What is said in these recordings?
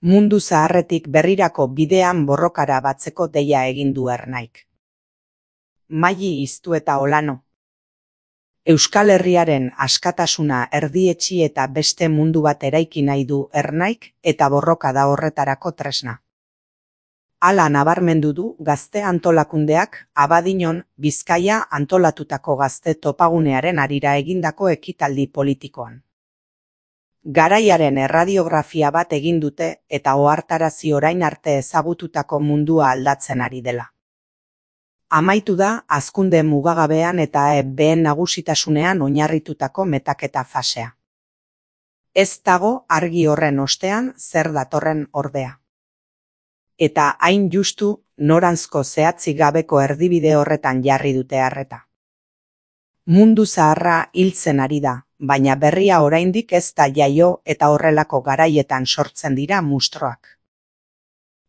Mundu zaharretik berrirako bidean borrokara batzeko deia egin du Ernaik. Maili Iztu eta Olano. Euskal Herriaren askatasuna erdietsi eta beste mundu bat eraiki nahi du Ernaik eta borroka da horretarako tresna. Hala nabarmendu du Gazte Antolakundeak Abadiñon, Bizkaia antolatutako gazte topagunearen harira egindako ekitaldi politikoan. Garaiaren erradiografia bat egin dute eta ohartarazi orain arte ezagututako mundua aldatzen ari dela. Amaitu da hazkunde mugagabean eta behen nagusitasunean oinarritutako metaketa fasea. Ez dago argi horren ostean zer datorren ordea. Eta hain justu noranzko zehatzik gabeko erdibide horretan jarri dute arreta. Mundu zaharra hiltzen ari da, baina berria oraindik ez da jaio eta horrelako garaietan sortzen dira mustroak.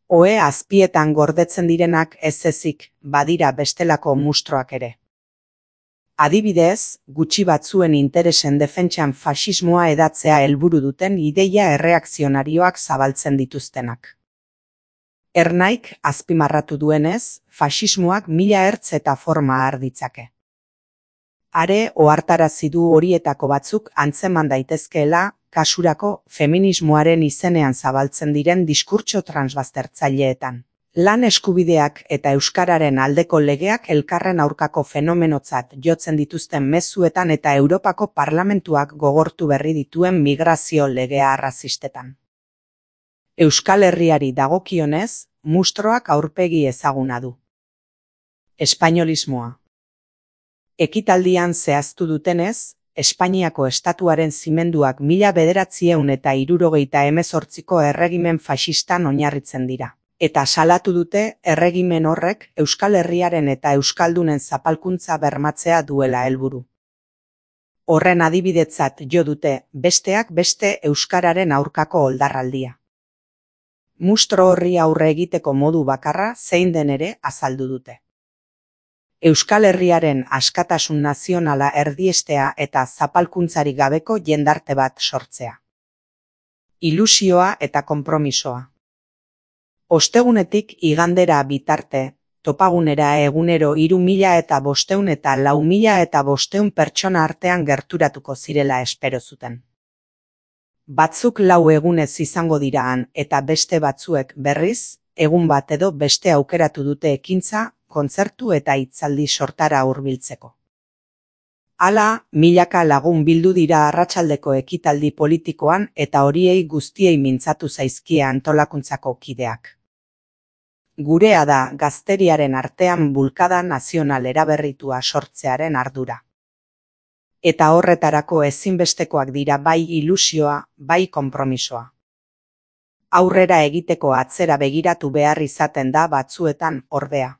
Ohe azpietan gordetzen direnak ez ezik, badira bestelako mustroak ere. Adibidez, gutxi batzuen interesen defentsan faxismoa hedatzea helburu duten ideia erreakzionarioak zabaltzen dituztenak. Ernaik azpimarratu duenez, faxismoak 1000 ertz eta forma har ditzake. Are ohartarazi du horietako batzuk antzeman daitezkeela, kasurako feminismoaren izenean zabaltzen diren diskurtso transbaztertzaileetan. Lan eskubideak eta euskararen aldeko legeak elkarren aurkako fenomenotzat jotzen dituzten mezuetan eta Europako Parlamentuak gogortu berri dituen migrazio legea arrazistetan. Euskal Herriari dagokionez, mustroak aurpegi ezaguna du. Espainolismoa. Ekitaldian zehaztu dutenez, Espainiako estatuaren zimenduak 1978ko erregimen faxistan oinarritzen dira. Eta salatu dute erregimen horrek Euskal Herriaren eta euskaldunen zapalkuntza bermatzea duela helburu. Horren adibidetzat jo dute besteak beste euskararen aurkako oldarraldia. Mustro horri aurre egiteko modu bakarra zein den ere azaldu dute. Euskal Herriaren askatasun nazionala erdiestea eta zapalkuntzarik gabeko jendarte bat sortzea. Ilusioa eta konpromisoa. Ostegunetik igandera bitarte, topagunera egunero 3500 eta 4500 pertsona artean gerturatuko zirela espero zuten. Batzuk 4 egunez izango dira han eta beste batzuek berriz, egun bat edo beste aukeratu dute ekintza, kontzertu eta hitzaldi sortara hurbiltzeko. Hala, milaka lagun bildu dira arratsaldeko ekitaldi politikoan eta horiei guztiei mintzatu zaizkie antolakuntzako kideak. Gurea da gazteriaren artean bulkada nazional eraberritua sortzearen ardura. Eta horretarako ezinbestekoak dira bai ilusioa, bai konpromisoa. Aurrera egiteko atzera begiratu behar izaten da batzuetan ordea.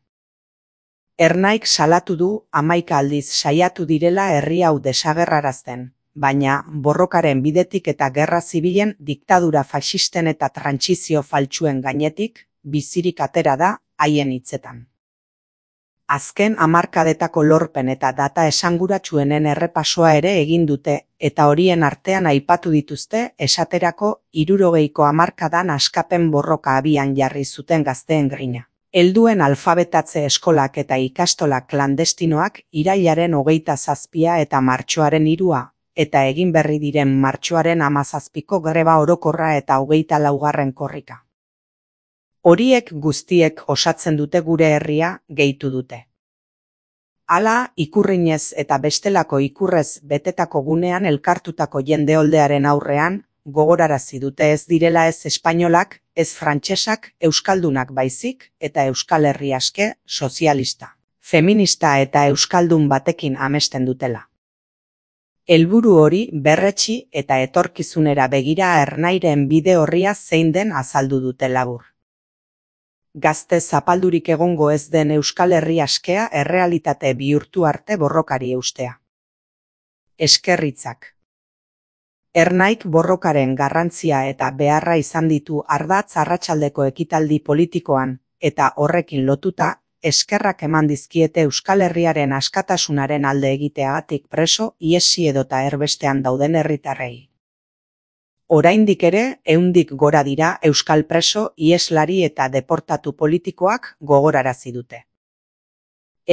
Ernaik salatu du 11 aldiz saiatu direla herri hau desagerrarazten, baina borrokaren bidetik eta gerra zibilen diktadura faxisten eta trantsizio faltsuen gainetik, bizirik atera da haien hitzetan. Azken hamarkadetako lorpen eta data esanguratsuenen errepasoa ere egin dute eta horien artean aipatu dituzte esaterako 60ko hamarkadan askapen borroka abian jarri zuten gazteen grina. Helduen alfabetatze eskolak eta ikastolak klandestinoak irailaren 27 eta martxoaren 3 eta egin berri diren martxoaren 17ko greba orokorra eta 24. korrika. Horiek guztiek osatzen dute gure herria, gehitu dute. Hala, ikurrinez eta bestelako ikurrez betetako gunean elkartutako jendeoldearen aurrean, gogorarazi dute ez direla ez espainolak, ez frantsesak, euskaldunak baizik eta Euskal Herri aske, sozialista, feminista eta euskaldun batekin amesten dutela. Helburu hori berretsi eta etorkizunera begira Ernairen bide orria zein den azaldu dute labur. Gazte zapaldurik egongo ez den Euskal Herri askea errealitate bihurtu arte borrokari eustea. Eskerritzak. Ernaik borrokaren garrantzia eta beharra izan ditu ardatz arratsaldeko ekitaldi politikoan, eta horrekin lotuta, eskerrak eman dizkiete Euskal Herriaren askatasunaren alde egiteagatik preso, iesi edota erbestean dauden herritarrei. Oraindik ere 100 gora dira euskal preso, iheslari eta deportatu politikoak gogorarazi dute.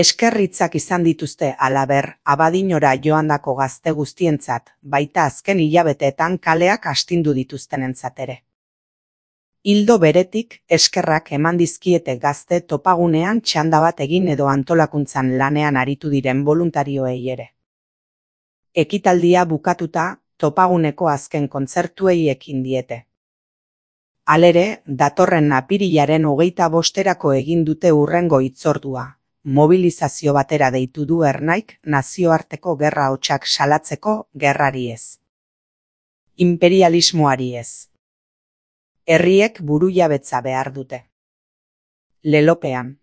Eskerritzak izan dituzte halaber, Abadiñora joandako gazte guztientzat, baita azken hilabeteetan kaleak astindu dituztenentzat ere. Ildo beretik, eskerrak eman dizkiete gazte topagunean txanda bat egin edo antolakuntzan lanean aritu diren boluntarioei ere. Ekitaldia bukatuta, topaguneko azken kontzertuei ekin diete. Halere, datorren apirilaren 25erako egin dute hurrengo hitzordua. Mobilizazio batera deitu du Ernaik nazioarteko gerra hotsak salatzeko gerrari ez. Imperialismoari ez. Herriek burujabetza behar dute. Lelopean.